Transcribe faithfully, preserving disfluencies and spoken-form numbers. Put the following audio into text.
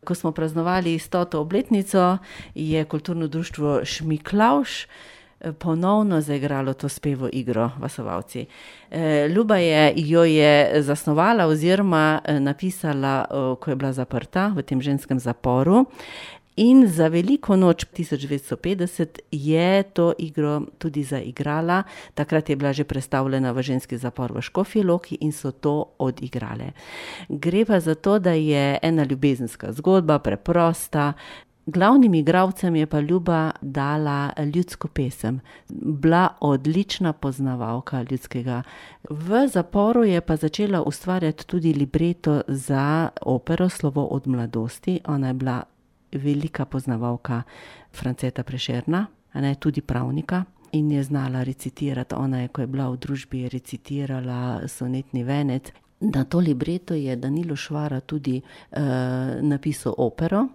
Ko smo praznovali stoto obletnico, je kulturno društvo Šmiklavž ponovno zaigralo to spevo igro Vasovalci. Ljuba je, jo je zasnovala oziroma napisala, ko je bila zaprta v tem ženskem zaporu. In za veliko noč tisoč devetsto petdeset je to igro tudi zaigrala. Takrat je bila že prestavljena v ženski zapor v Škofji Loki in so to odigrale. Gre pa za to, da je ena ljubezenska zgodba, preprosta. Glavnim igralcem je pa Ljuba dala ljudsko pesem. Bila odlična poznavalka ljudskega. V zaporu je pa začela ustvarjati tudi libreto za opero Slovo od mladosti. Ona je bila velika poznavalka Franceta Prešerna, a ne, tudi pravnika, in je znala recitirati. Ona je, ko je bila v družbi, je recitirala sonetni venec. Na to libreto je Danilo Švara tudi uh, napisal opero.